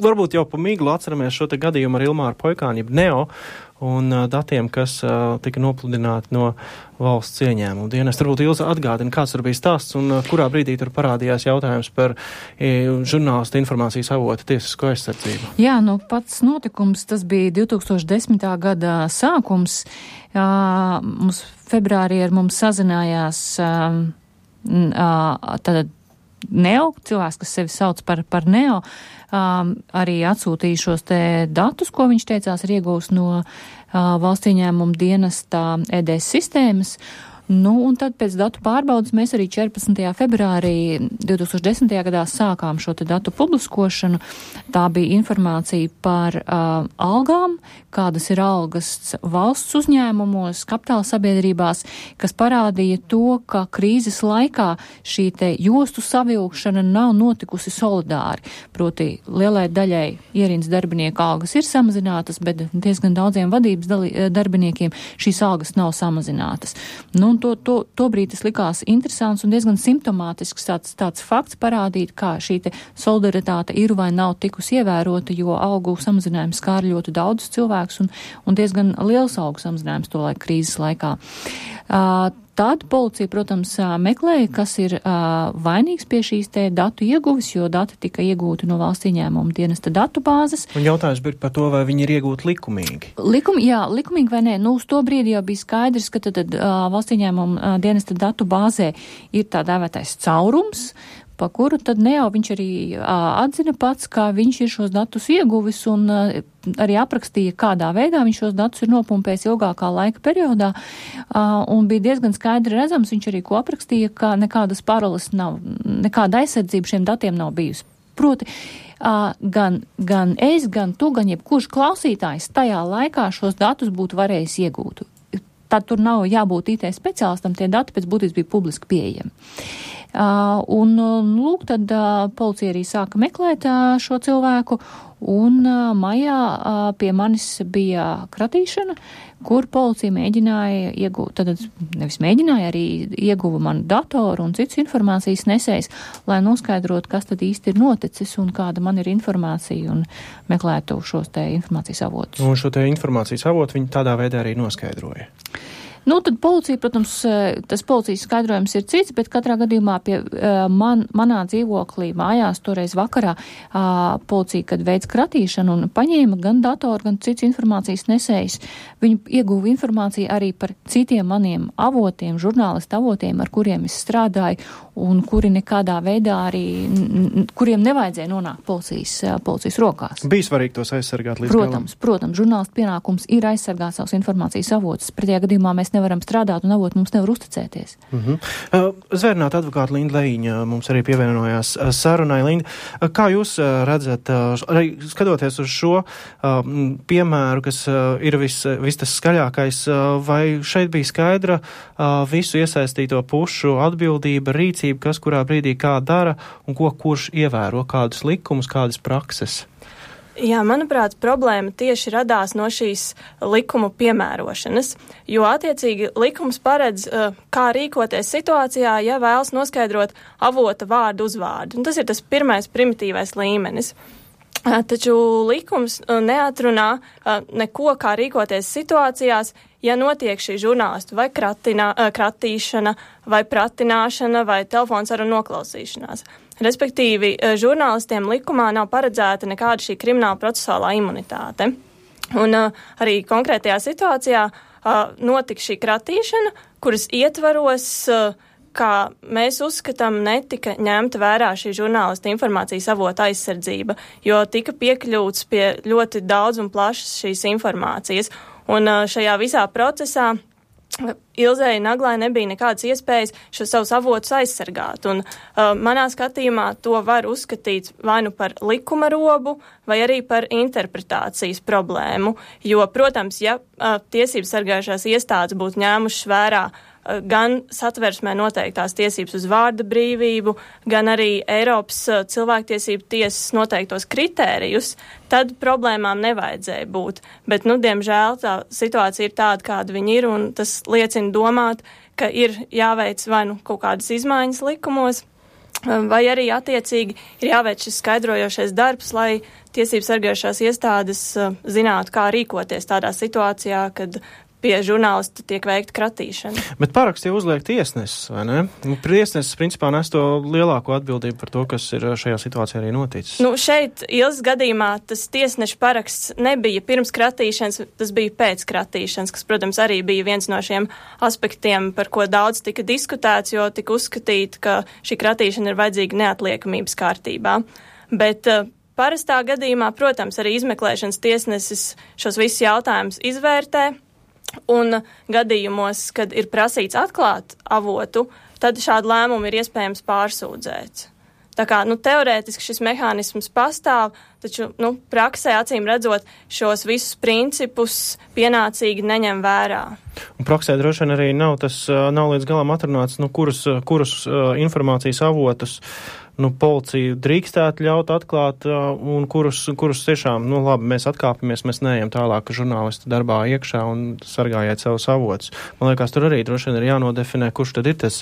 varbūt jau pa miglu atceramies šo te gadījumu ar Ilmāru Poikāni, jeb Neo, un datiem, kas tika nopludināti no valsts ieņēmumu dienas. Varbūt Ilza atgādina, kāds tur bija stāsts un kurā brīdī tur parādījās jautājums par žurnālistu informācijas avotu tiesisko aizsardzību. Jā, pats notikums, tas bija 2010. gada sākums. Mums februārī ar mums sazinājās tad Neo, cilvēks, kas sevi sauc par Neo, arī atsūtīja šos te datus, ko viņš teicās ir iegūs no valsts ieņēmuma dienesta EDS sistēmas. Un tad pēc datu pārbaudas mēs arī 14. februārī 2010. gadā sākām šo te datu publiskošanu. Tā bija informācija par algām, kādas ir algas valsts uzņēmumos, kapitāla sabiedrībās, kas parādīja to, ka krīzes laikā šī te jostu savilkšana nav notikusi solidāri. Proti, lielai daļai ierīnas darbinieku algas ir samazinātas, bet diezgan daudziem vadības darbiniekiem šīs algas nav samazinātas. Tobrīd tas likās interesants un diezgan simptomātisks tāds fakts parādīt, kā šī te solidaritāte ir vai nav tikusi ievērota, jo algu samazinājums skāra ļoti daudz cilvēkus un diezgan liels algu samazinājums to laika krīzes laikā. Tad policija, protams, meklēja, kas ir vainīgs pie šīs te datu ieguves, jo dati tika iegūti no valsts ieņēmuma dienesta datu bāzes. Un jautājums bija par to, vai viņi ir iegūti likumīgi. Likumīgi vai nē. Uz to brīdi jau bija skaidrs, ka tad valsts ieņēmuma dienesta datu bāzē ir tā dēvētais caurums, pa kuru tad Neo viņš arī atzina pats, ka viņš ir šos datus ieguvis un arī aprakstīja, kādā veidā viņš šos datus ir nopumpējis ilgākā laika periodā, un bija diezgan skaidri redzams, viņš arī ko aprakstīja, ka nekādas paroles nav, nekāda aizsardzība šiem datiem nav bijusi. Proti, gan es, gan tu, gan jebkurš klausītājs tajā laikā šos datus būtu varējis iegūt. Tad tur nav jābūt IT speciālistam, tie dati pēc būtības bija publiski pieejami. Tad policija arī sāka meklēt šo cilvēku, un maijā pie manis bija kratīšana, kur policija mēģināja iegūt, tad nevis mēģināja, arī ieguva manu datoru un citus informācijas nesējs, lai noskaidrotu, kas tad īsti ir noticis un kāda man ir informācija un meklētu šos te informācijas avotus. Un šo te informācijas avotu viņi tādā veidā arī noskaidroja. Tad policija, protams, tas policijas skaidrojums ir cits, bet katrā gadījumā pie manā dzīvoklī mājās toreiz vakarā policija, kad veids kratīšanu un paņēma gan datoru, gan cits informācijas nesējs, viņi ieguva informāciju arī par citiem maniem avotiem, žurnālistu avotiem, ar kuriem es strādāju un kuri nekādā veidā arī, kuriem nevajadzēja nonākt policijas rokās. Bija svarīgi tos aizsargāt līdz galam? Protams, žurnālistu pienākums ir aizsargāt savus informācijas avotus. Pretējā gadījumā mēs nevaram strādāt un avoti mums nevar uzticēties. Zvērnāta advokāta Linda Lejiņa mums arī pievienojās sarunai. Linda, kā jūs redzat, arī skatoties uz šo piemēru, kas ir vis tas skaļākais, vai šeit bija skaidra visu iesaistīto pušu atbildība, rīcība, kas kurā brīdī kā dara un kurš ievēro kādus likumus, kādas prakses? Jā, manuprāt, problēma tieši radās no šīs likumu piemērošanas, jo attiecīgi likums paredz, kā rīkoties situācijā, ja vēlas noskaidrot avota vārdu uzvārdu. Un tas ir tas pirmais primitīvais līmenis. Taču likums neatrunā neko, kā rīkoties situācijās, ja notiek šī žurnālistu vai kratīšana, vai pratināšana, vai telefonsarunu noklausīšanās. Respektīvi, žurnālistiem likumā nav paredzēta nekāda šī krimināla procesuālā imunitāte. Un arī konkrētajā situācijā notika šī kratīšana, kuras ietvaros, kā mēs uzskatām, netika ņemta vērā šī žurnālista informācijas avota aizsardzība, jo tika piekļūts pie ļoti daudz un plašas šīs informācijas. Un šajā visā procesā Ilzei Naglai nebija nekādas iespējas šos savus avotus aizsargāt. Un manā skatījumā to var uzskatīt vai nu par likuma robu, vai arī par interpretācijas problēmu. Jo, protams, ja tiesības sargājušās iestādes būtu ņēmušas vērā gan satversmē noteiktās tiesības uz vārda brīvību, gan arī Eiropas cilvēktiesību tiesas noteiktos kritērijus, tad problēmām nevajadzēja būt. Bet, diemžēl, tā situācija ir tāda, kāda viņa ir, un tas liecina domāt, ka ir jāveic vai nu kaut kādas izmaiņas likumos, vai arī attiecīgi ir jāveic šis skaidrojošais darbs, lai tiesības sargājušās iestādes zinātu, kā rīkoties tādā situācijā, kad pie žurnālista tiek veikta kratīšana. Bet paraksts jau uzliek tiesnesis, vai ne? Tiesnesis principā nes to lielāko atbildību par to, kas ir šajā situācijā arī noticis. Šeit Ilzas gadījumā tas tiesneša paraksts nebija pirms kratīšanas, tas bija pēc kratīšanas, kas, protams, arī bija viens no šiem aspektiem, par ko daudz tika diskutēts, jo tika uzskatīt, ka šī kratīšana ir vajadzīga neatliekamības kārtībā. Bet parastā gadījumā, protams, arī izmeklēšanas tiesnesis šos visus jautājumus izvērtē. Un gadījumos, kad ir prasīts atklāt avotu, tad šādu lēmumu ir iespējams pārsūdzēt. Tā kā, teorētiski šis mehānisms pastāv, taču, praksē acīm redzot šos visus principus pienācīgi neņem vērā. Un praksē droši vien arī nav līdz galam atrunāts, kurus informācijas avotus policija drīkstētu ļaut atklāt un kurus tiešām, labi, mēs atkāpamies, mēs neejam tālāk žurnālistu darbā iekšā un sargājiet savus avotus. Man liekas, tur arī droši vien ir jānodefinē, kurš tad ir tas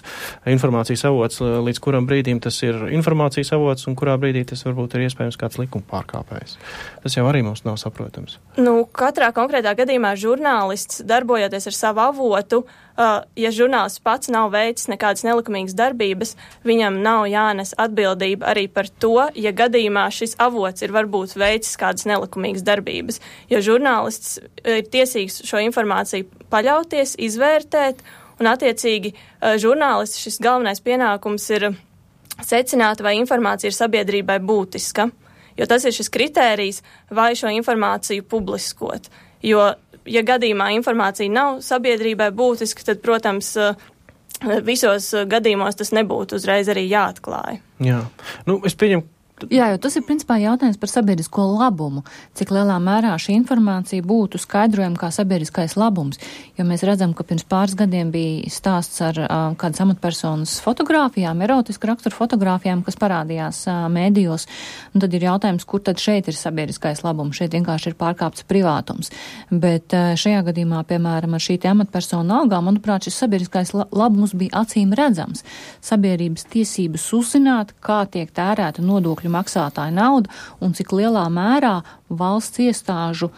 informācijas avots, līdz kuram brīdim tas ir informācijas avots un kurā brīdī tas varbūt ir iespējams kāds likuma pārkāpējs. Tas jau arī mums nav saprotams. Katrā konkrētā gadījumā žurnālists, darbojoties ar savu avotu, ja žurnālists pats nav veicis nekādas nelikumīgas darbības, viņam nav jānes atbildība arī par to, ja gadījumā šis avots ir varbūt veicis kādas nelikumīgas darbības, jo žurnālists ir tiesīgs šo informāciju paļauties, izvērtēt, un attiecīgi žurnālists šis galvenais pienākums ir secināt, vai informācija ir sabiedrībai būtiska, jo tas ir šis kritērijs, vai šo informāciju publiskot, jo ja gadījumā informācija nav sabiedrībai būtiska, tad, protams, visos gadījumos tas nebūtu uzreiz arī jāatklāj. Jā. Es pieņemu. Jā, jo tas ir principā jautājums par sabiedrisko labumu. Cik lielā mērā šī informācija būtu skaidrojama kā sabiedriskais labums. Jo mēs redzam, ka pirms pāris gadiem bija stāsts ar kādas amatpersonas fotogrāfijām, erotisku raksturu fotogrāfijām, kas parādījās mēdījos. Un tad ir jautājums, kur tad šeit ir sabiedriskais labums. Šeit vienkārši ir pārkāpts privātums. Bet šajā gadījumā, piemēram, ar šī amatpersonu algām, manuprāt, šis sabiedriskais labums bija acīm redzams. Sabiedrības tiesības uzzināt, kā tiek tērēta nodokļu maksātāja nauda un cik lielā mērā valsts iestāžu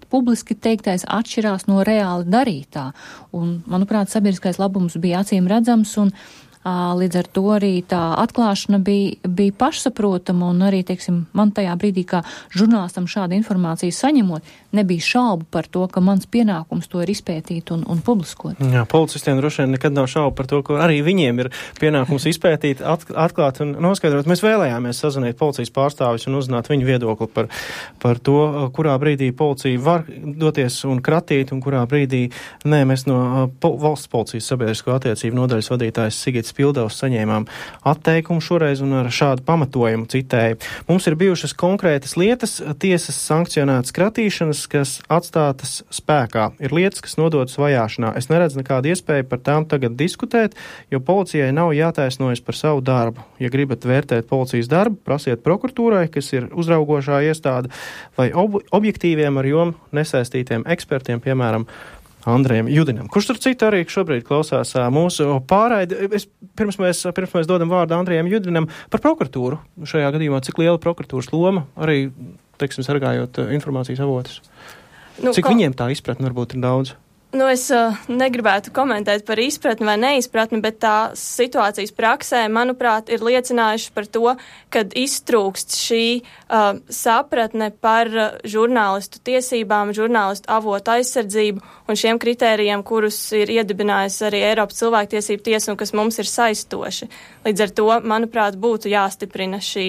publiski teiktais atšķirās no reāli darītā. Un, manuprāt, sabiedriskais labums bija acīm redzams un līdz ar to arī tā atklāšana bija pašsaprotama un arī, teiksim, man tajā brīdī, kā žurnālistam šādu informāciju saņemot, nebija šaubu par to, ka mans pienākums to ir izpētīt un publiskot. Jā, policistiem droši vien nekad nav šaubu par to, ka arī viņiem ir pienākums izpētīt, atklāt un noskaidrot. Mēs vēlējāmies sazvanīt policijas pārstāvis un uzzināt viņu viedokli par to, kurā brīdī policija var doties un kratīt un kurā brīdī nē, mēs no valsts policijas sabiedrisko attiecību nodaļas vadītājs Sigits Pildevs saņēmām atteikumu šoreiz un ar šādu pamatojumu citēju. Mums ir bijušas konkrētas lietas, tiesas sankcionētas kratīšanas, kas atstātas spēkā. Ir lietas, kas nodotas vajāšanā. Es neredzu nekādu iespēju par tām tagad diskutēt, jo policijai nav jātaisnojas par savu darbu. Ja gribat vērtēt policijas darbu, prasiet prokuratūrai, kas ir uzraugošā iestāde, vai objektīviem ar jomu nesaistītiem ekspertiem, piemēram, Andrejam Judinam, kurš tur citu arī šobrīd klausās mūsu pārraidi. Pirms mēs dodam vārdu Andrejam Judinam par prokuratūru. Šajā gadījumā cik liela prokuratūras loma arī, teiksim, sargājot informācijas avotus? Cik viņiem tā izpratne varbūt ir daudz? Es negribētu komentēt par izpratni vai neizpratni, bet tā situācijas praksē, manuprāt, ir liecinājuši par to, kad iztrūkst šī sapratne par žurnālistu tiesībām, žurnālistu avotu aizsardzību un šiem kritērijiem, kurus ir iedibinājusi arī Eiropas cilvēktiesību tiesa un kas mums ir saistoši. Līdz ar to, manuprāt, būtu jāstiprina šī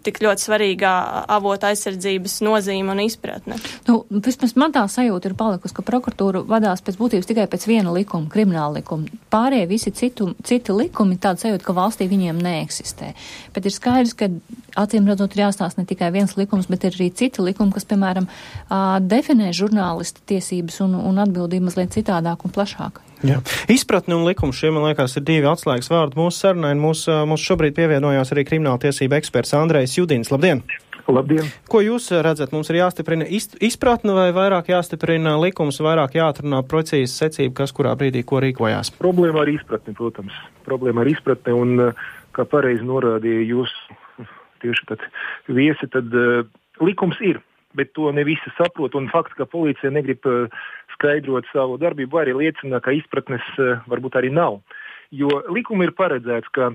tik ļoti svarīgā avota aizsardzības nozīme un izpratne. Vismaz man tā sajūta ir palikusi, ka prokuratūra vadās pēc būtības tikai pēc viena likuma, krimināla likuma. Pārējie visi citi likumi tāda sajūta, ka valstī viņiem neeksistē. Bet ir skaidrs, ka acīm redzot ir jāstāsta ne tikai viens likums, bet ir arī citi likumi, kas, piemēram, definē žurnālistu tiesības un atbildību mazliet citādāk un plašāk. Jā. Izpratne un likums šie, man liekas, ir divi atslēgas vārdi mūsu sarunai. Mums šobrīd pievienojās arī krimināla tiesība eksperts Andrejs Judins. Labdien! Labdien! Ko jūs redzat? Mums ir jāstiprina izpratne vai vairāk jāstiprina likums, vairāk jāatrunā precīzi secība, kas kurā brīdī ko rīkojās? Problēma ar izpratni, protams. Problēma ar izpratni un, kā pareizi norādīja jūs tieši tad viesi, tad likums ir, bet to ne visi saprot, un fakts, ka policija negrib skaidrot savu darbību, arī liecina, ka izpratnes varbūt arī nav. Jo likumi ir paredzēts, ka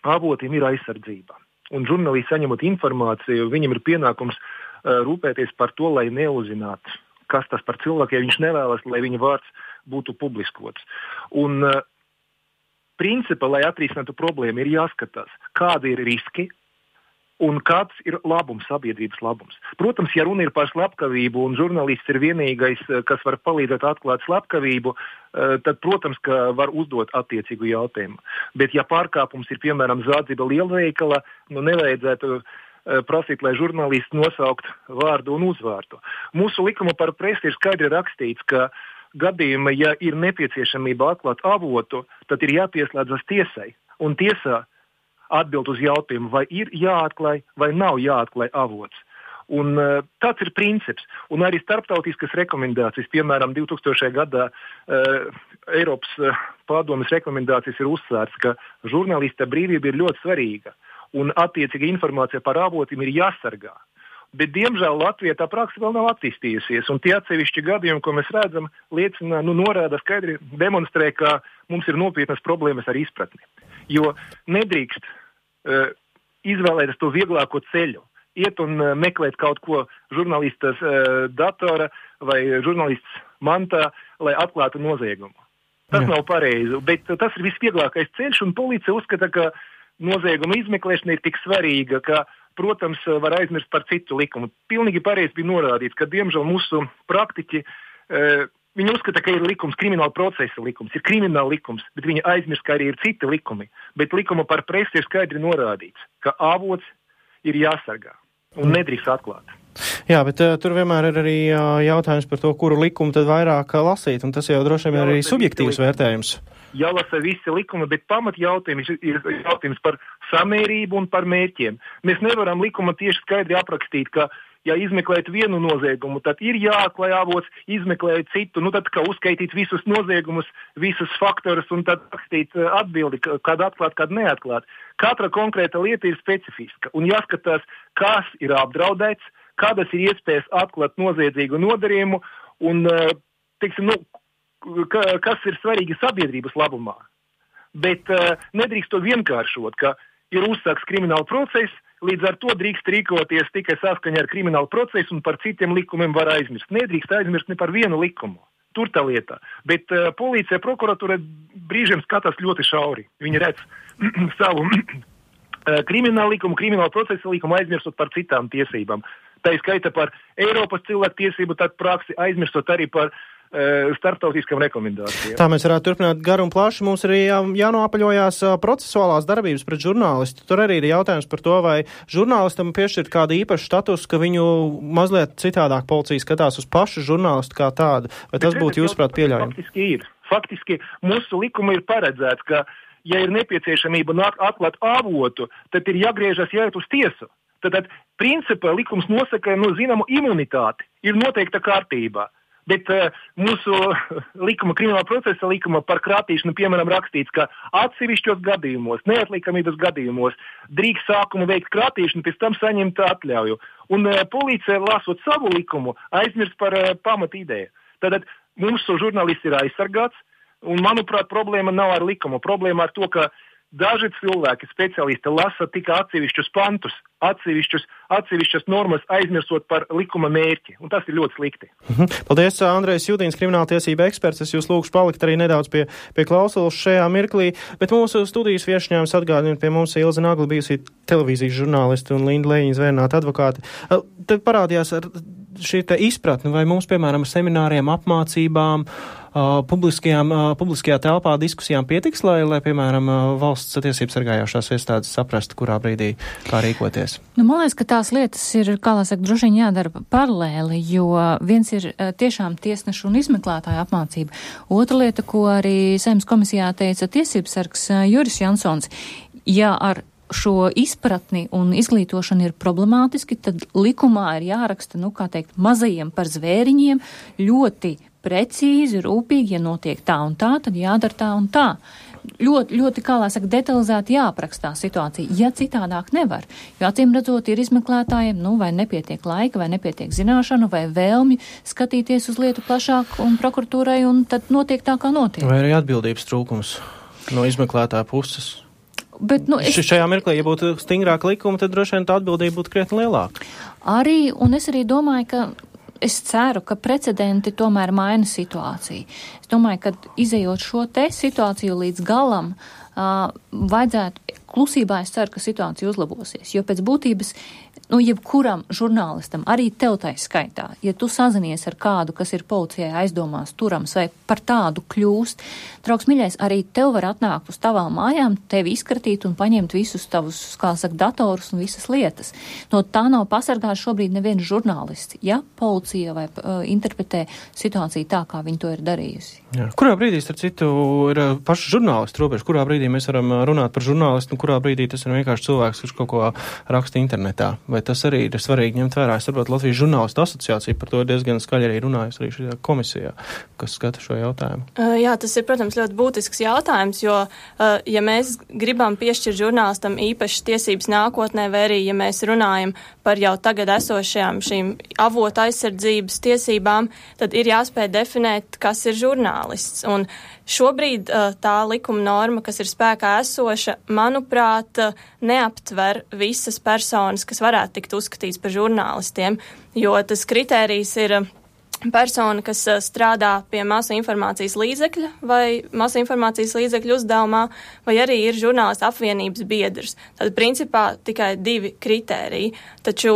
avotiem ir aizsardzība. Un žurnālisti saņemot informāciju, viņam ir pienākums rūpēties par to, lai neuzzinātu, kas tas par cilvēku, ja viņš nevēlas, lai viņa vārds būtu publiskots. Un principā, lai atrisinātu problēmu, ir jāskatās, kādi ir riski un kāds ir labums, sabiedrības labums. Protams, ja runa ir par slepkavību un žurnālists ir vienīgais, kas var palīdzēt atklāt slepkavību, tad, protams, ka var uzdot attiecīgu jautājumu. Bet, ja pārkāpums ir, piemēram, zādzība lielveikala, nevajadzētu prasīt, lai žurnālists nosaukt vārdu un uzvārdu. Mūsu likuma par presi ir skaidri rakstīts, ka gadījumā, ja ir nepieciešamība atklāt avotu, tad ir jāpieslēdzas tiesai. Un tiesā atbild uz jautājumu, vai ir jāatklāj vai nav jāatklāj avots. Un tāds ir princips. Un arī starptautiskas rekomendācijas, piemēram, 2000. gadā Eiropas padomes rekomendācijas ir uzsvērts, ka žurnālista brīvība ir ļoti svarīga. Un attiecīga informācija par avotiem ir jāsargā. Bet, diemžēl, Latvijā tā praksa vēl nav attīstījusies, un tie atsevišķi gadījumi, ko mēs redzam, liecina, norāda skaidri, demonstrē, ka mums ir nopietnas problēmas ar izpratni. Jo nedrīkst izvēlēties to vieglāko ceļu, iet un meklēt kaut ko žurnālistas datora vai žurnālists mantā, lai atklātu noziegumu. Tas nav pareizi, bet tas ir visvieglākais ceļš, un policija uzskata, ka nozieguma izmeklēšana ir tik svarīga, ka, protams, var aizmirst par citu likumu. Pilnīgi pareizi bija norādīts, ka, diemžēl, mūsu praktiķi, viņi uzskata, ka ir likums, krimināla procesa likums, ir krimināla likums, bet viņi aizmirst, ka arī ir citi likumi. Bet likuma par presi ir skaidri norādīts, ka avots ir jāsargā un nedrīkst atklāt. Jā, bet tur vienmēr ir arī jautājums par to, kuru likumu tad vairāk lasīt, un tas jau droši vien ir arī subjektīvs vērtējums. Jālasa visi likumi, bet pamat jautājums ir jautājums par samērību un par mērķiem. Mēs nevaram likuma tieši skaidri aprakstīt, ka, ja izmeklēt vienu noziegumu, tad ir jāatklāj avots, izmeklēt citu, tad kā uzskaitīt visus noziegumus, visus faktorus un tad rakstīt atbildi, kādu atklāt, kādu neatklāt. Katra konkrēta lieta ir specifiska un jāskatās, kas ir apdraudēts, kādas ir iespējas atklāt noziedzīgu nodarījumu un, teiksim, kas ir svarīgi sabiedrības labumā. Bet nedrīkst to vienkāršot, ka ir uzsāks krimināla process, līdz ar to drīkst rīkoties tikai saskaņā ar kriminālu procesu un par citiem likumiem var aizmirst. Nedrīkst aizmirst ne par vienu likumu. Tur tā lieta. Bet policija, prokuratūra brīžiem skatās ļoti šauri. Viņi redz savu kriminālu likumu, kriminālu procesa likumu aizmirstot par citām tiesībām. Tā ir skaita par Eiropas cilvēku tiesību, tad praksi aizmirstot arī par starptautiskām rekomendācijām. Tā mēs varētu turpināt garu un plaši. Mums arī jānoapaļojās procesuālās darbības pret žurnālistu. Tur arī ir jautājums par to, vai žurnālistam piešķirt kādu īpašu statusu, ka viņu mazliet citādāk policija skatās uz pašu žurnālistu kā tādu. Vai tas būtu, jūsuprāt, pieļaujami? Faktiski mūsu likuma ir paredzēts, ka, ja ir nepieciešamība atklāt avotu, tad ir jāgriežas jāiet uz tiesu. Tad, principā, likums nosaka zināmu imunitāti. Ir noteikta kārtībā. Bet mūsu likuma, krimināla procesa likuma par krātīšanu, piemēram, rakstīts, ka atsevišķos gadījumos, neatlikamības gadījumos drīkst sākumu veikt krātīšanu, pēc tam saņemt atļauju. Un policija, lasot savu likumu, aizmirst par pamatīdēju. Tad mūsu žurnālists ir aizsargāts, un, manuprāt, problēma nav ar likumu. Problēma ar to, ka daži cilvēki, speciālisti, lasa tikai atsevišķus pantus, atsevišķas normas, aizmirstot par likuma mērķi, un tas ir ļoti slikti. Paldies, Andrejs Judīns, krimināltiesība eksperts. Es jūs lūgšu palikt arī nedaudz pie klausulas šajā mirklī, bet mūsu studijas viešņāms atgādina pie mums Ilze Nagla, bijusī televīzijas žurnālisti un Linda Lējiņa zvērnāta advokāti. Tad parādījās ar šī te izpratni, vai mums, piemēram, semināriem, apmācībām, publiskajā telpā diskusijām pietiks, lai piemēram, valsts tiesības sargājošās iestādes saprastu, kurā brīdī kā rīkoties? Man liekas, ka tās lietas ir, kā lai saka, droši vien jādara paralēli, jo viens ir tiešām tiesnešu un izmeklētāju apmācība. Otra lieta, ko arī Saeimas komisijā teica tiesības sargs Juris Jansons, ja ar šo izpratni un izglītošanu ir problemātiski, tad likumā ir jāraksta, mazajiem par zvēriņiem ļoti precīzi, rūpīgi, ja notiek tā un tā, tad jādara tā un tā. ļoti, kā lai saka, detalizēti jāaprakstā situācija, ja citādāk nevar. Jo acīm redzot, ir izmeklētājiem, vai nepietiek laika, vai nepietiek zināšanu, vai vēlmi skatīties uz lietu plašāk un prokuratūrai, un tad notiek tā, kā notiek. Vai arī atbildības trūkums no izmeklētāja puses? Bet, šajā mirklī, ja būtu stingrāka likuma, tad droši vien tā atbildība būtu krietni lielāka. Un es arī domāju, ka es ceru, ka precedenti tomēr maina situāciju. Es domāju, ka izejot šo te situāciju līdz galam, vajadzētu klusībā, es ceru, ka situācija uzlabosies, jo pēc būtības, jebkuram žurnālistam, arī tev tai skaitā, ja tu sazinies ar kādu, kas ir policijai aizdomās turams vai par tādu kļūst, draugs miļais, arī tev var atnākt uz tavām mājām, tevi izkratīt un paņemt visus tavus, kā saka, datorus un visas lietas. No tā nav pasargāts šobrīd neviens žurnālists, ja policija vai interpretē situāciju tā, kā viņi to ir darījusi. Jā. Kurā brīdī, starp citu, ir paši žurnālisti robeža? Kurā brīdī mēs varam runāt par žurnālistu un kurā brīdī tas ir vienkārši cilvēks, kurš kaut ko raksta internetā? Vai tas arī ir svarīgi ņemt vērā? Es saprotu, Latvijas žurnālistu asociācija par to diezgan skaļi arī runājusi arī šajā komisijā, kas skata šo jautājumu. Jā, tas ir, protams, ļoti būtisks jautājums, jo, ja mēs gribam piešķirt žurnālistam īpašas tiesības nākotnē, vai arī, ja mēs runājam par jau tagad esošajām šīm avota aizsardzības tiesībām, tad ir jāspēj definēt, kas ir žurnālists. Un šobrīd tā likuma norma, kas ir spēkā esoša, manuprāt, neaptver visas personas, kas varētu tikt uzskatīts par žurnālistiem, jo tas kritērijs ir persona, kas strādā pie masu informācijas līdzekļa vai masu informācijas līdzekļu uzdevumā, vai arī ir žurnālistu apvienības biedrs. Tad, principā, tikai 2 kritēriji. Taču,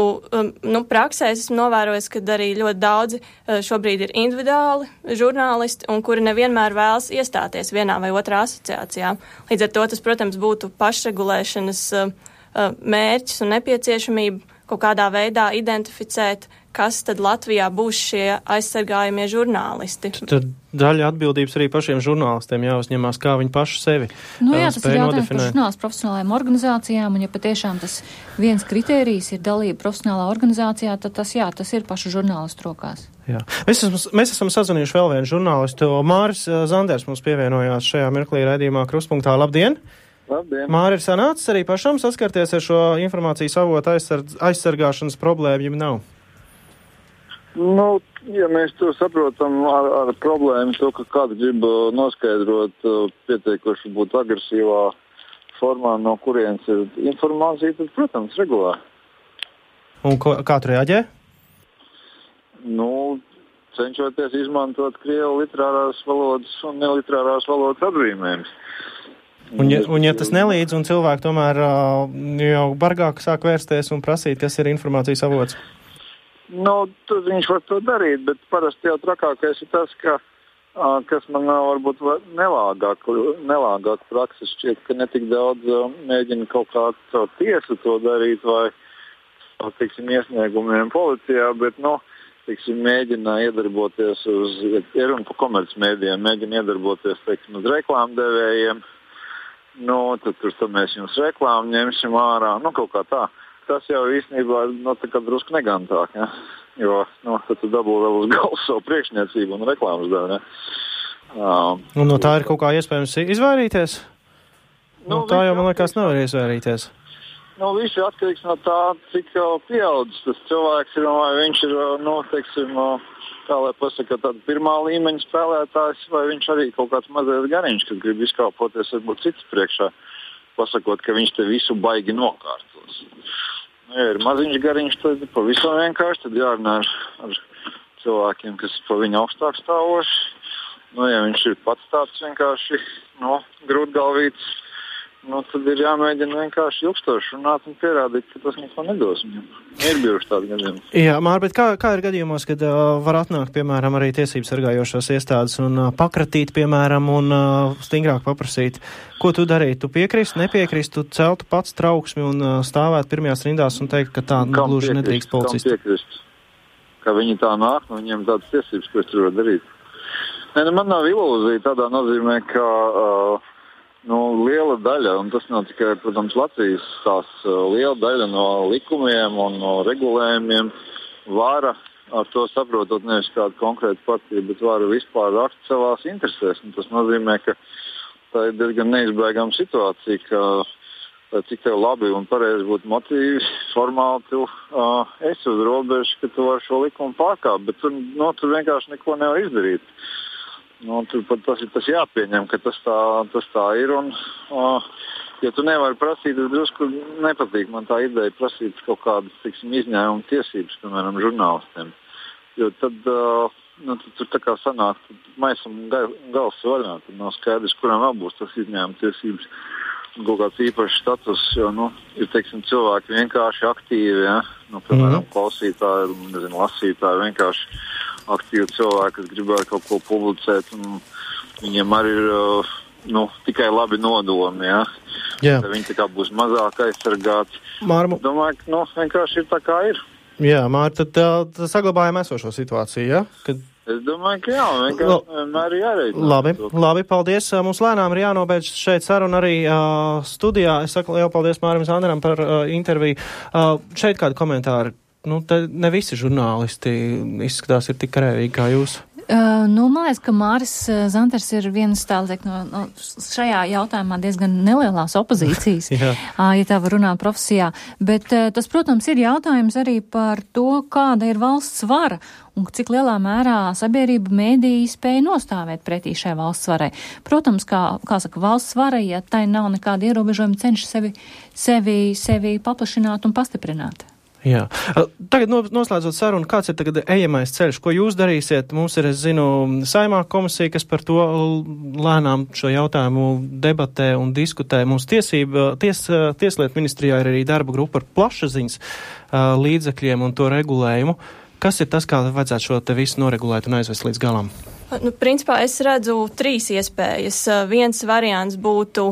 praksē esmu novērojis, ka arī ļoti daudzi šobrīd ir individuāli žurnālisti un kuri nevienmēr vēlas iestāties vienā vai otrā asociācijā. Līdz ar to tas, protams, būtu pašregulēšanas mērķis un nepieciešamība kaut kādā veidā identificēt, kas tad Latvijā būs šie aizsargājumie žurnālisti. Tad daļa atbildības arī pašiem žurnālistiem jāuzņemās, kā viņi paši sevi tas ir jautājums par žurnālistu profesionālajām organizācijām, un ja patiešām tas viens kritērijs ir dalība profesionālā organizācijā, tad tas ir pašu žurnālistu rokās. Jā. Mēs esam sazvanījuši vēl vienu žurnālistu. Māris Zanders mums pievienojās šajā mirklī raidījumā Kruspunktā. Labdien! Labdien! Māri, ir sanācis arī pašam saskarties ar šo informācijas avotu aizsargāšanas problēmu, ja nav? Ja mēs to saprotam ar problēmu, to, ka kāds grib noskaidrot pietiekoši būt agresīvā formā, no kurienes ir informācija, tad, protams, regulā. Un kā tu reaģē? Cenšoties izmantot krievu literārās valodas un neliterārās valodas atzīmējumus. Un ja tas nelīdz, un cilvēki tomēr jau bargāk sāk vērsties un prasīt, kas ir informācijas avots? Tad viņš var to darīt, bet parasti jau trakākais ir tas, kas man varbūt nelāgāk prakses šķiet, ka netik daudz mēģina kaut kā caur tiesu to darīt vai, iesniegumiem policijā, bet, mēģina iedarboties ir un pa komercmēdījiem, mēģina iedarboties, uz reklāmdevējiem. Tad mēs jums reklāmu ņemsim ārā, kaut kā tā. Tas jau īstenībā tā kā drusku negantāk, ja? Jo tad tu dabū vēl uz galvas savu priekšniecību un reklāmas devu, ne? Un no tā ir kaut kā iespējams izvairīties? Tā jau, man liekas, nevar izvairīties. Viss ir atkarīgs no tā, cik jau pieaudzis tas cilvēks ir, vai viņš ir, kā lai pasaka, tāda pirmā līmeņa spēlētājs, vai viņš arī kaut kāds mazais gariņš, kas grib izkāpoties varbūt cits priekšā, pasakot, ka viņš te visu baigi nokārtos. Ja ir maziņš gariņš, tad pavisam vienkārši, tad jārunā ar cilvēkiem, kas pa viņu augstāk stāvoši. Ja viņš ir pats tāds vienkārši, grūtgalvīts, tad ir jāmēģina vienkārši ilgstoši runāt un pierādīt, ka tas neko nedos viņam. Ir bijuši tādi gadījumi. Jā, Mār, bet kā ir gadījumos, kad var atnākt, piemēram, arī tiesības sargājošās iestādes un pakratīt, piemēram, un stingrāk paprasīt, ko tu darītu? Tu piekrist, nepiekrist, tu celtu pats trauksmi un stāvēt pirmajās rindās un teikt, ka tā gluži nedrīkst policisti? Kam piekrist? Ka viņi tā nāk, viņiem tādas tiesības, ko es tur varu darīt. Man nav ilūzija tādā nozīmē, ka liela daļa, un tas nav tikai, protams, Latvijas tās liela daļa no likumiem un no regulējumiem vara, ar to saprotot nevis kādu konkrētu partiju, bet vara vispār rakt savās interesēs. Un tas nozīmē, ka tā ir diezgan neizbēgama situācija, ka cik tev labi un pareizi būtu motīvi, formāli tu esi uz robežas, ka tu vari šo likumu pārkāpt, bet tur vienkārši neko nevar izdarīt. Tur pat tas jāpieņem, ka tas tā ir. Un, ja tu nevari prasīt, es drusku nepatīk man tā ideja prasīt kaut kādas, izņēmuma tiesības, piemēram, žurnālistiem. Jo tad tur tā kā sanāk, maisam gals vaļā, tad nav skaidrs, kuram vēl būs tas izņēmuma tiesības. Kaut kāds īpašs status, jo, ir, cilvēki vienkārši aktīvi, ja? Piemēram, klausītāji, lasītāji, vienkārši aktīvi cilvēki, kas gribētu kaut ko publicēt, un viņiem arī ir, tikai labi nodomi, ja? Jā. Viņi tā kā būs mazāk aizsargāti. Domāju, ka, vienkārši ir tā kā ir. Jā, Mārta, tad saglabājam esošo situāciju, ja? Es domāju, ka jā, vienmēr jāreicinās. Labi, paldies. Mums lēnām ir jānobeidz šeit saruna arī studijā. Es saku lielu paldies Mārim Zanderam par interviju. Šeit kādi komentāri? Te ne visi žurnālisti izskatās ir tik karēvīgi kā jūs. Man liekas, ka Māris Zanders ir viens šajā jautājumā diezgan nelielās opozīcijas, ja tā var runāt profesijā. Bet tas, protams, ir jautājums arī par to, kāda ir valsts vara un cik lielā mērā sabiedrība mēdīji spēja nostāvēt pretī šai valsts varai. Protams, kā saka, valsts vara, ja tai nav nekāda ierobežojuma, cenšas sevi paplašināt un pastiprināt. Jā. Tagad noslēdzot sarunu, kāds ir tagad ejamais ceļš? Ko jūs darīsiet? Mums ir, es zinu, Saeimā komisija, kas par to lēnām šo jautājumu debatē un diskutē. Mums Tieslietu ministrijā ir arī darba grupa par plašsaziņas līdzekļiem un to regulējumu. Kas ir tas, kā vajadzētu šo te visu noregulēt un aizvest līdz galam? Principā es redzu 3 iespējas. Viens variants būtu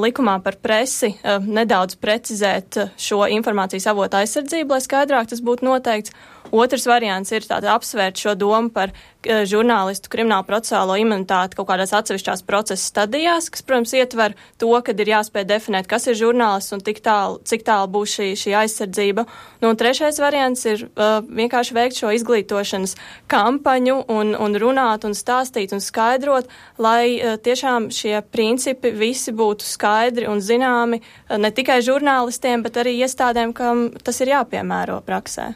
likumā par presi nedaudz precizēt šo informācijas avotu aizsardzību, lai skaidrāk tas būtu noteikts. Otrs variants ir apsvērt šo domu par žurnālistu kriminālu procesālo imunitāti kaut kādās atsevišķās procesa stadijās, kas, protams, ietver to, kad ir jāspēj definēt, kas ir žurnālists un cik tālu būs šī aizsardzība. Un trešais variants ir vienkārši veikt šo izglītošanas kampaņu un runāt un stāstīt un skaidrot, lai tiešām šie principi visi būtu skaidri un zināmi ne tikai žurnālistiem, bet arī iestādēm, kam tas ir jāpiemēro praksē.